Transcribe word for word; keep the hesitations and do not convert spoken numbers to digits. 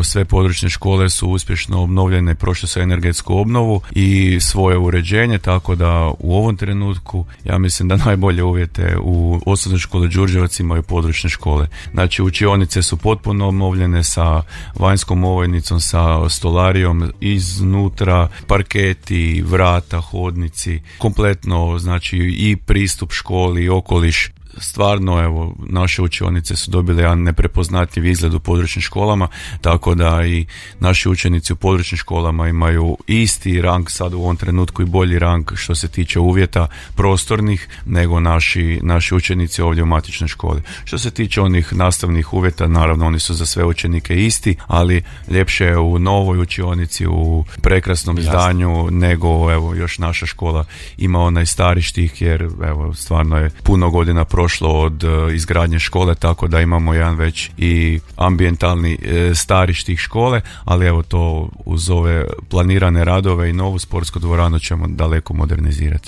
Sve područne škole su uspješno obnovljene, prošle su energetsku obnovu i svoje uređenje, tako da u ovom trenutku ja mislim da najbolje uvjete u osnovnoj školi Đurđevac imaju područne škole. Znači učionice su potpuno obnovljene sa vanjskom ovojnicom, sa stolarijom, iznutra parketi, vrata, hodnici, kompletno znači i pristup školi i okoliš. Stvarno, evo, naše učionice su dobile jedan neprepoznatljiv izgled u područnim školama, tako da i naši učenici u područnim školama imaju isti rang sad u ovom trenutku i bolji rang što se tiče uvjeta prostornih nego naši, naši učenici ovdje u matičnoj školi. Što se tiče onih nastavnih uvjeta, naravno oni su za sve učenike isti, ali ljepše je u novoj učionici, u prekrasnom Jasne. zdanju nego evo još naša škola ima onaj stari štih jer evo stvarno je puno godina prošlo od uh, izgradnje škole, tako da imamo jedan već i ambijentalni e, stari štih škole, ali evo to uz ove planirane radove i novu sportsku dvoranu ćemo daleko modernizirati.